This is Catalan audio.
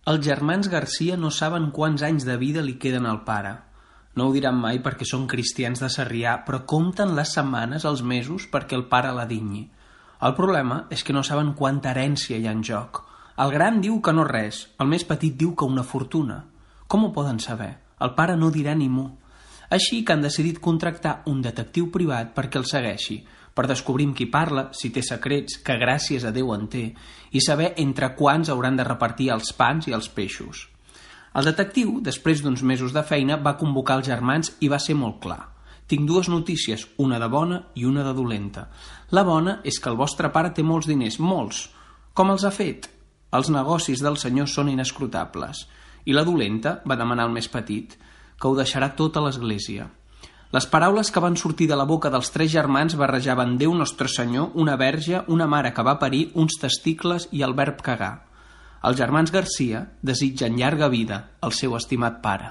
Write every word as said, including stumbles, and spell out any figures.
Els germans Garcia no saben quants anys de vida li queden al pare. No ho diran mai perquè són cristians de Sarrià, però compten les setmanes, els mesos, perquè el pare la dinyi. El problema és que no saben quanta herència hi ha en joc. El gran diu que no res, el més petit diu que una fortuna. Com ho poden saber? El pare no dirà ni mu. Així que han decidit contractar un detectiu privat perquè el segueixi, per descobrir amb qui parla, si té secrets, que gràcies a Déu en té, i saber entre quants hauran de repartir els pans i els peixos. El detectiu, després d'uns mesos de feina, va convocar els germans i va ser molt clar. Tinc dues notícies, una de bona i una de dolenta. La bona és que el vostre pare té molts diners, molts. Com els ha fet? Els negocis del senyor són inescrutables. I la dolenta, va demanar el més petit, que ho deixarà tot a l'església. Les paraules que van sortir de la boca dels tres germans barrejaven Déu Nostre Senyor, una verge, una mare que va parir, uns testicles i el verb cagar. Els germans Garcia desitgen llarga vida al seu estimat pare.